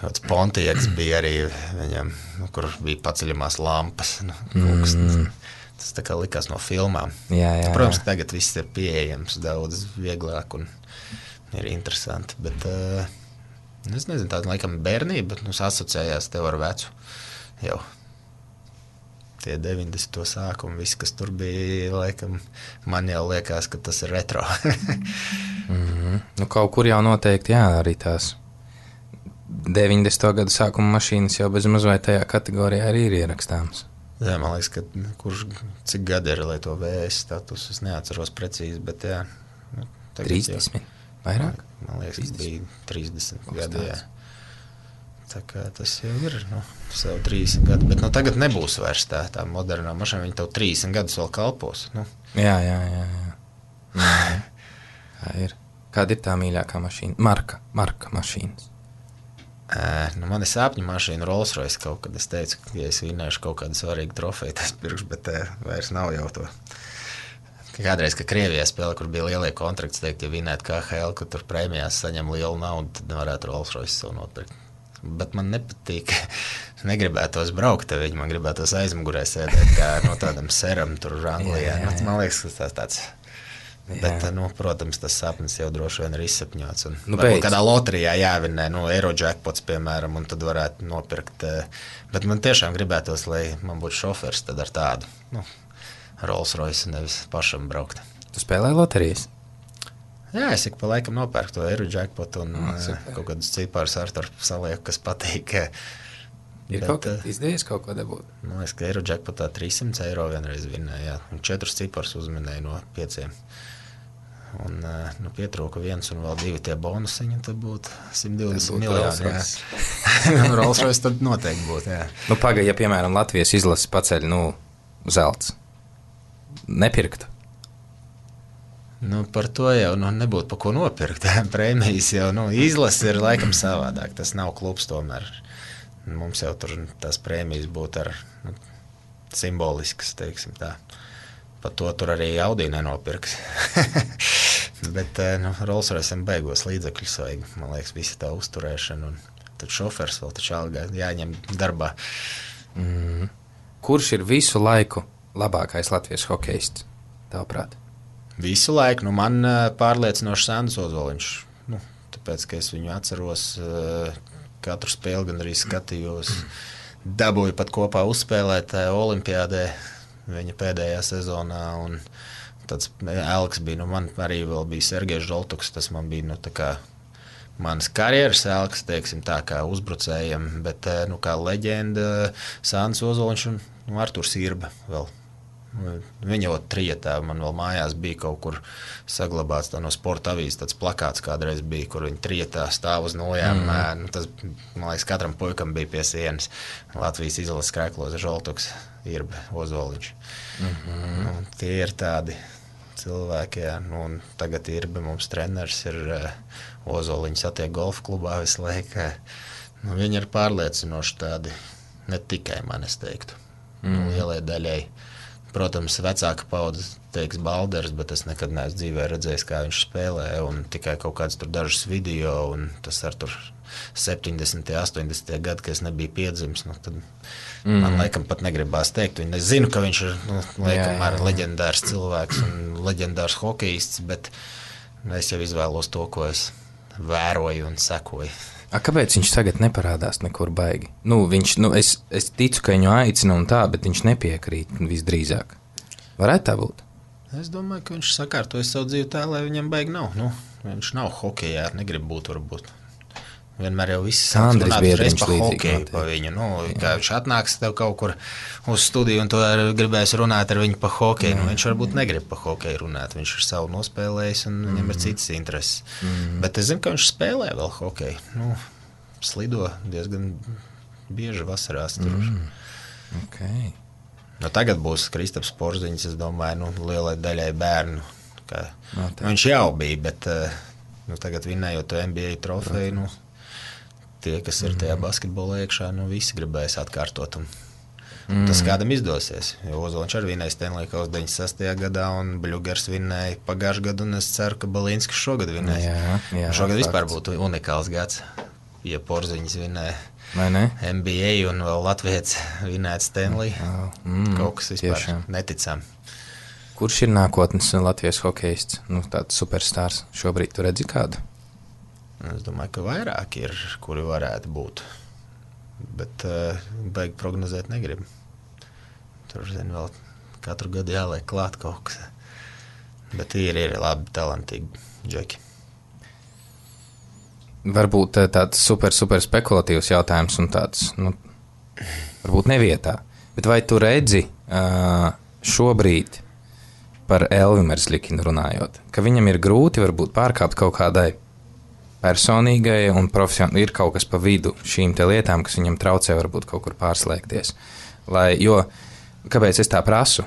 Kāds Pontiaks bija arī viņam, kur bija paceļamās lampas. Tas tā kā likās no filmām. Protams, ka tagad viss ir pieejams daudz vieglāk un ir interesanti. Bet es nezinu, tāda laikam bērnība asociējās tev ar vecu jau. Tie 90. sākumi, viss, kas tur bija, laikam, man jau liekas, ka tas ir retro. Kaut kur jau noteikti, arī tās 90. gadu sākuma mašīnas jau bez maz vai tajā kategorijā arī ir ierakstāmas. Jā, man liekas, ka cik gadi ir, lai to VS status, es neatceros precīzi, bet 30, vairāk? Man liekas, ka bija 30 gadi, Tā kā tas jau ir, sev 30 gadi, bet tagad nebūs vairs tā modernā mašīna, viņa tev 30 gadus vēl kalpos. Jā. Tā ir. Kāda ir tā mīļākā mašīna? Marka mašīnas. Man ir sāpņu mašīna Rolls-Royce kaut kad. Es teicu, ka ja es vinnēšu kaut kādu svarīgu trofeju, tas pirkšu, bet vairs nav jau to. Kādreiz, ka Krievijā spēlē, kur bija lielie kontrakts, teikt, ja vinnētu KHL, ka tur prēmijās saņem lielu naudu, tad varētu Rolls-Royce savu nopirkt. Bet man nepatīk, negribētos braukt ar viņu, man gribētos aizmugurē sēdēt kā no tādam seram tur Anglijā. Man liekas, ka tas tāds. Bet, protams, tas sapnis jau droši vien ir izsapņots. Varbūt kādā loterijā jāvinnē, Eurojackpots, piemēram, un tad varētu nopirkt. Bet man tiešām gribētos, lai man būtu šofers tad ar tādu Rolls-Royce, nevis pašam braukt. Tu spēlē loterijas? Jā, es ik pa laikam nopērku to Eurojackpotu un kaut kādus ciparus ar salieku, kas patīk. Ir kaut kā izdejies kaut ko dabūt? Man liekas, ka Eurojackpotā 300 eiro vienreiz vinnēja, un 4 ciparus uzminēja no 5. Un pietrūka 1 un vēl 2 tie bonusiņi, tad būtu 120 miljoni. Rolls-Royce tad noteikti būtu, jā. Paga, ja piemēram Latvijas izlase paceļ, zelts, nepirktu? Par to jau nebūtu pa ko nopirkt. Prēmijas jau izlase ir laikam savādāk. Tas nav klubs tomēr. Mums jau tur tās prēmijas būtu ar simboliskas, teiksim tā. Par to tur arī Audi nenopirks. Bet Rolls-Royce'am beigos līdzekļus vajag. Man liekas, visa tā uzturēšana. Un tad šofers vēl taču algā jāņem darbā. Kurš ir visu laiku labākais Latvijas hokejists, tavuprāt? Visu laiku. Man pārliecinoši Sandis Ozoliņš. Tāpēc, ka es viņu atceros, katru spēli gan arī skatījos. Dabūju pat kopā uzspēlēt olimpiādē viņa pēdējā sezonā. Un tāds elks bija. Man arī vēl bija Sergejs Žoltuks. Tas man bija tā kā manas karjeras elks, teiksim tā, kā uzbrucējiem. Bet kā leģenda Sandis Ozoliņš un Arturs Irba vēl. Viņa jau trietā, man vēl mājās bija kaut kur saglabāts no sporta avīzes, tāds plakāts kādreiz bija, kur viņa trietā stāv uz nojām. Tas, man liekas, katram puikam bija pie sienas. Latvijas izlases krēklos Žoltuks, Irba, Ozoliņš. Tie ir tādi cilvēki, un tagad Irba mums treneris ir Ozoliņš attiek golfa klubā visu laiku. Viņi ir pārliecinoši tādi, ne tikai man, es teiktu, lielai daļai. Protams, vecāka paudze teiks Balders, bet es nekad neesmu dzīvē redzējis, kā viņš spēlē, un tikai kaut kāds tur dažus video, un tas ar tur 70. 80. gadi, kad es nebiju piedzimis, tad man laikam pat negribās teikt. Es zinu, ka viņš ir, laikam, leģendārs cilvēks un leģendārs hokejists, bet es jau izvēlos to, ko es vēroju un sekoju. Kāpēc viņš tagad neparādās nekur baigi? Es ticu, ka viņu aicina un tā, bet viņš nepiekrīt visdrīzāk. Varētu tā būt? Es domāju, ka viņš sakārtojas savu dzīvi tā, lai viņam baigi nav. Viņš nav hokejā, negrib būt varbūt. Vienmēr jau viss Andris Biedriņš pa hokeju pa viņu. Kā viņš atnāks tev kaut kur uz studiju un tu gribēs runāt ar viņu pa hokeju. Viņš varbūt negrib pa hokeju runāt. Viņš ir savu nospēlējis un viņam ir citas intereses. Bet es zinu, ka viņš spēlē vēl hokeju. Slido diezgan bieži vasarās tur. Okay. Tagad būs Kristaps Porziņš, es domāju, lielai daļai bērnu. Viņš jau bija, bet tagad vinnējot to NBA trofeju, tie, kas ir tajā basketbolā iekšā, visi gribēs atkārtot. Tas kādam izdosies. Jo Ozoliņš arī vinēja Stanley Kausu 96. gadā, un Bļugers vinēja pagājušajā gadu, un es ceru, ka Balinskis šogad vinēs. Šogad vispār būtu unikāls gads, ja Porziņš vinēja NBA un vēl Latvijas vinēt Stanley. Kaut kas vispār neticam. Kurš ir nākotnes Latvijas hokejists? Tāds superstārs. Šobrīd tu redzi kādu? Es domāju, ka vairāk ir, kuri varētu būt. Bet baigi prognozēt negribu. Tur, vēl katru gadu jāliek klāt kaut kas. Bet ir labi, talantīgi džeki. Varbūt tāds super spekulatīvs jautājums un tāds, varbūt nevietā. Bet vai tu redzi šobrīd par Elvi Merzlikinu runājot, ka viņam ir grūti varbūt pārkāpt kaut kādai personīgai un profesionāli ir kaut kas pa vidu šīm te lietām, kas viņam traucē varbūt kaut kur pārslēgties. Kāpēc es tā prasu?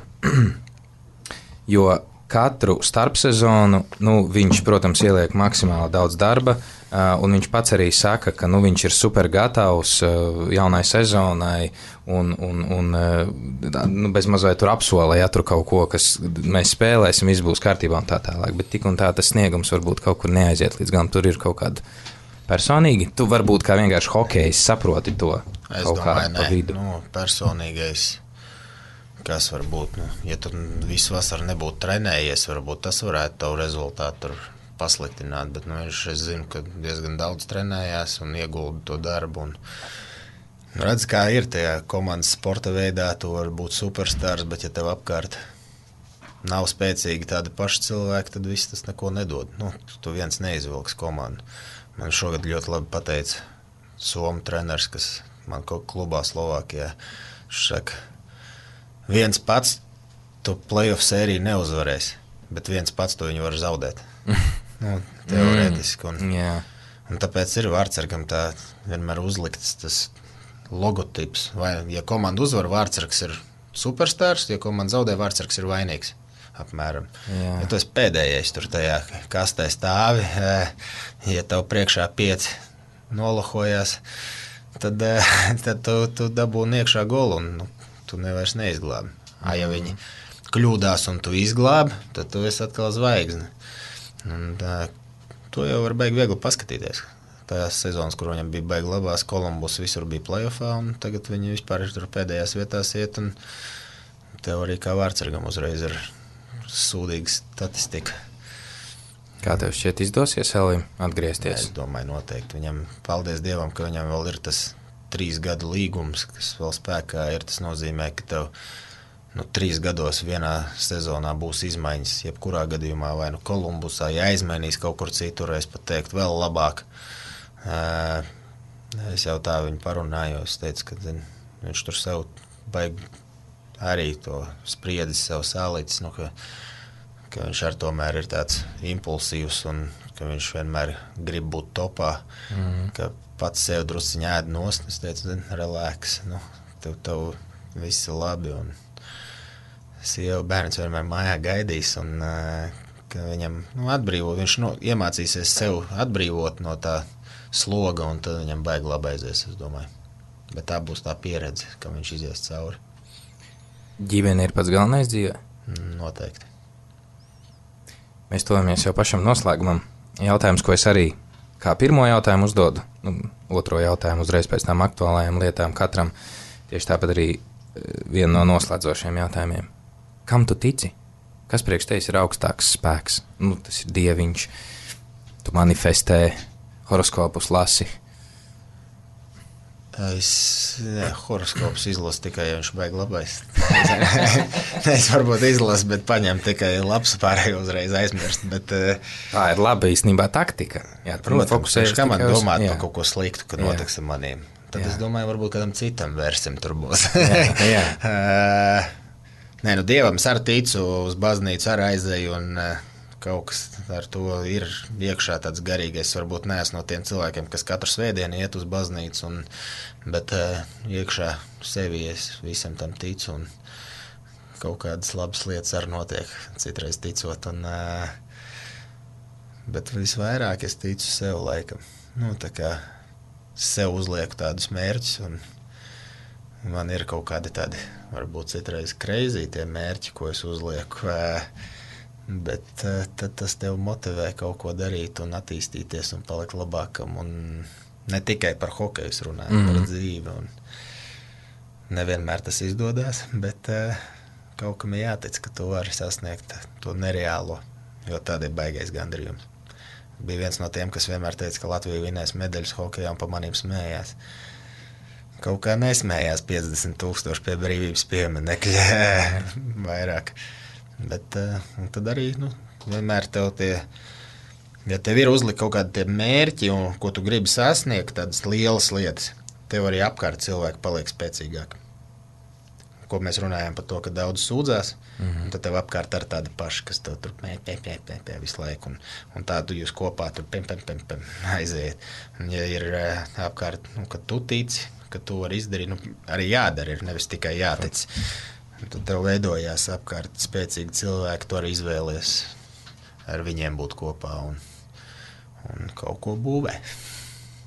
Jo katru starpsezonu, viņš, protams, ieliek maksimāli daudz darba, un viņš pats arī saka, ka viņš ir super gatavs jaunai sezonai un bez mazliet tur apsolē, ja tur kaut ko, kas mēs spēlēsim, viss būs kārtībā un tā tālāk, bet tik un tā tas sniegums varbūt kaut kur neaiziet līdz galam, tur ir kaut kāda personīgi. Tu varbūt kā vienkārši hokejs saproti to kaut kādu pa vidu. Personīgais, kas var būt, ja tu visu vasaru nebūtu trenējies, varbūt tas varētu tavu rezultātu tur pasliktināt, bet es zinu, ka diezgan daudz trenējās un iegulda to darbu. Redz, kā ir tajā komandas sporta veidā, tu var būt superstārs, bet ja tev apkārt nav spēcīgi tādi paši cilvēki, tad viss tas neko nedod. Tu viens neizvilks komandu. Man šogad ļoti labi pateica Somu treneris, kas man kaut klubā Slovākijā. Viņš saka, viens pats tu playoff sēriju neuzvarēsi, bet viens pats tu viņu var zaudēt. Teorētiski. Un tāpēc ir Vārtsargam tā vienmēr uzlikts tas logotips. Vai, ja komanda uzvar, Vārtsargs ir superstārs, ja komanda zaudē, Vārtsargs ir vainīgs. Apmēram. Ja tu esi pēdējais tur tajā kastē stāvi, ja tev priekšā 5 nolohojās, tad tu dabūni iekšā golu un tu nevairs neizglābi. Ja viņi kļūdās un tu izglābi, tad tu esi atkal zvaigzne. To jau var baigi viegli paskatīties. Tajās sezonas, kur viņam bija baigi labās, Kolumbus visur bija playoffā, un tagad viņi vispār ir tur pēdējās vietās iet, un tev arī kā Vārtsargam uzreiz ir sūdīga statistika. Kā tev šķiet izdosies Elvim atgriezties? Es domāju noteikti. Viņam, paldies Dievam, ka viņam vēl ir tas 3 gadu līgums, kas vēl spēkā ir. Tas nozīmē, ka tev 3 gados vienā sezonā būs izmaiņas, jebkurā gadījumā, vai Kolumbusā, ja aizmainīs kaut kur citur, es pat teiktu vēl labāk. Es jau tā viņu parunāju, es teicu, ka viņš tur sev baigi arī to spriedis, sev sālītis, ka viņš ar tomēr ir tāds impulsīvs un ka viņš vienmēr grib būt topā, ka pats sev drusciņ ēd nost. Es teicu, relax, tev viss ir labi un sieva bērns vienmēr mājā gaidīs un ka viņam atbrīvo, viņš iemācīsies sev atbrīvot no tā sloga un tad viņam baigi labi aizies, es domāju. Bet tā būs tā pieredze, ka viņš izies cauri. Ģimene ir pats galvenais dzīvē? Noteikti. Mēs tojamies jau pašam noslēgumam. Jautājums, ko es arī kā pirmo jautājumu uzdodu, otro jautājumu uzreiz pēc tām aktuālajām lietām katram, tieši tāpat arī viena no noslēdzošiem jautājumiem. Kam tu tici? Kas priekš tevis ir augstāks spēks? Tas ir dieviņš, tu manifestē, horoskopus lasi. Horoskops izlasu tikai, ja viņš baigi labais. Es varbūt izlasu, bet paņem tikai labs pārējo uzreiz aizmirst. Bet, tā ir laba īstenībā taktika. Jā, protams, kā man domāt par kaut ko sliktu, kad notiks ar maniem. Tad es domāju, varbūt kādam citam vērsim tur būs. Dievam es arī ticu, uz baznīcu arī aizēju un kaut kas ar to ir iekšā tāds garīgais. Varbūt neesmu no tiem cilvēkiem, kas katru svētdienu iet uz baznīcu, bet iekšā sevi es visam tam ticu un kaut kādas labas lietas arī notiek, citreiz ticot. Bet visvairāk es ticu sev laikam. Tā kā sev uzlieku tādus mērķus un man ir kaut kādi tādi, varbūt citreiz crazy tie mērķi, ko es uzlieku, bet tad tas tev motivē kaut ko darīt un attīstīties un palikt labākam. Un ne tikai par hokeju es runāju, par dzīvi. Un nevienmēr tas izdodas, bet kaut kam ir jātic, ka tu vari sasniegt to nereālo, jo tāda ir baigais gandarījums. Bija viens no tiem, kas vienmēr teica, ka Latvija vinēs medaļas hokejā un pa manīm smējās. Kaut kā nesmējās 50,000 pie brīvības pieminekļa vairāk. Bet tad arī vienmēr tev ja tev ir uzlikt kaut kādi tie mērķi, un ko tu gribi sasniegt, tādas lielas lietas, tev arī apkārt cilvēki paliek spēcīgāki. Ko mēs runājām par to, ka daudz sūdzās, un tad tev apkārt ar tāda paša, kas tev tur pē visu laiku, un tādu jūs kopā tur pem aiziet. Un ja ir apkārt, ka tu tici, ka tu vari izdarīt, arī jādara ir, nevis tikai jātic. Un tad tev veidojās apkārt spēcīgi cilvēki, tu arī izvēlies ar viņiem būt kopā un kaut ko būvē.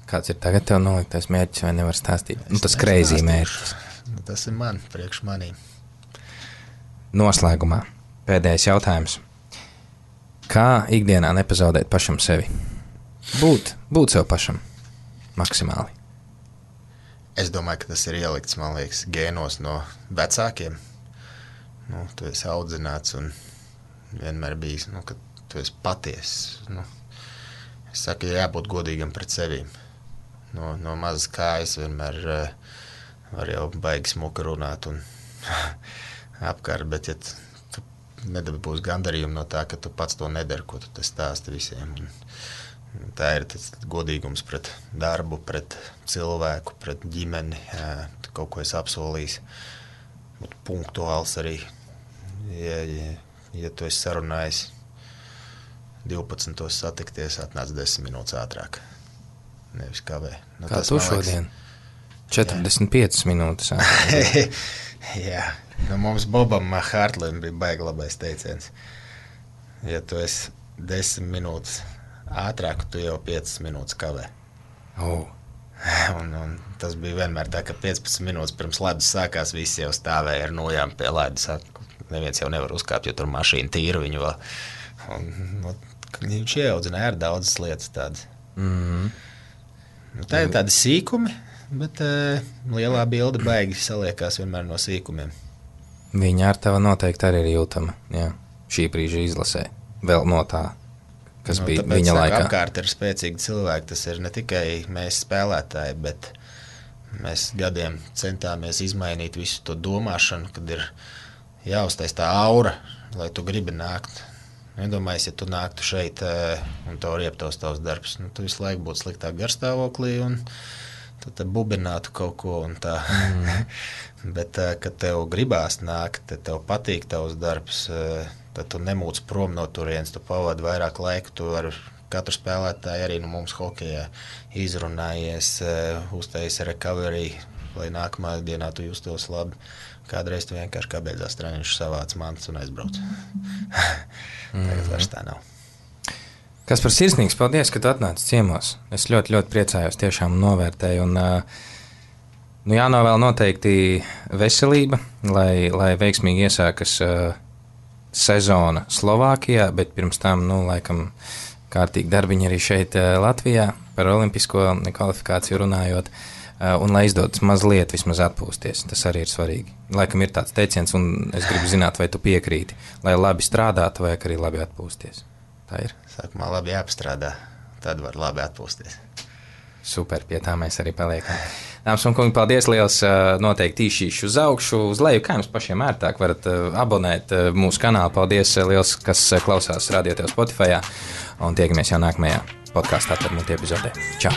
Kāds ir tagad tev noliktais mērķis, vai nevar stāstīt? Tas crazy mērķis. Tas ir priekš manī. Noslēgumā pēdējais jautājums. Kā ikdienā nepazaudēt pašam sevi? Būt sev pašam maksimāli. Es domāju, ka tas ir ielikts, man liekas, gēnos no vecākiem. Tu esi audzināts un vienmēr bijis, ka tu esi patiess. Es saku, jābūt godīgam pret sevīm. No mazas kājas vienmēr var jau baigi smuka runāt un apkārt, bet ja tu nedabūsi gandarījumu no tā, ka tu pats to nedari, ko tu stāsti visiem. Un tā ir tas godīgums pret darbu, pret cilvēku, pret ģimeni, kaut ko es apsolījis. Būt punktuāls arī, ja tu esi sarunājis 12. satikties, atnāc 10 minūtes ātrāk. Nevis kavē. Kā tu šodien? 45 minūtes ātrāk. Jā. Mums Bobam Hārtlim bija baigi labais teiciens. Ja tu esi 10 minūtes ātrāk, tu jau 5 minūtes kavē. Un tas bija vienmēr tā, ka 15 minūtes pirms ledus sākās, visi jau stāvēja ar nojām pie ledus. Neviens jau nevar uzkāpt, jo tur mašīna tīra viņu vēl. Viņš ieaudzināja ar daudzas lietas tādas. Tā ir tādi sīkumi, bet lielā bilde baigi saliekās vienmēr no sīkumiem. Viņa ar tevi noteikti arī ir jūtama, jā, šī brīža izlasē, vēl no tā, kas bija viņa laikā. Apkārt ir spēcīgi cilvēki, tas ir ne tikai mēs spēlētāji, bet mēs gadiem centāmies izmainīt visu to domāšanu, kad ir jāuztais tā aura, lai tu gribi nākt. Nedomājies, ja tu nāktu šeit un tev rieptos tavs darbs, tu visu laiku būtu sliktāk garstāvoklī un tad bubinātu kaut ko un tā. Bet, kad tev gribās nākt, tev patīk tavs darbs, tad tu nemūc prom no turienes, tu pavadi vairāk laiku, tu ar katru spēlētāju arī mums hokejā izrunājies, uztais recovery, lai nākamā dienā tu justos labi. Kādreiz tu vienkārši kā beidzās treniņš savāc mantas un aizbrauc. Tagad vairs tā nav. Kaspar, sirsnīgs paldies, ka tu atnāci ciemos. Es ļoti, ļoti priecājos, tiešām novērtēju. Un jānovēl noteikti veselība, lai veiksmīgi iesākas sezona Slovākijā, bet pirms tam, laikam, kārtīgi darbiņi arī šeit Latvijā par olimpisko kvalifikāciju runājot. Un lai izdodas mazliet vismaz atpūsties, tas arī ir svarīgi. Laikam ir tāds teiciens, un es gribu zināt, vai tu piekrīti, lai labi strādātu, vai arī labi atpūsties. Tā ir. Sākumā labi jāpastrādā, tad var labi atpūsties. Super, pie tā mēs arī paliekam. Dāmas un kungi, paldies liels, noteikti īšīšu uz augšu, uz leju, kā jums pašiem ērtāk varat abonēt mūsu kanālu. Paldies liels, kas klausās Radio Tev Spotifyā, un tiekamies jau nākamajā podkāstā Atver Muti epizodē. Čau!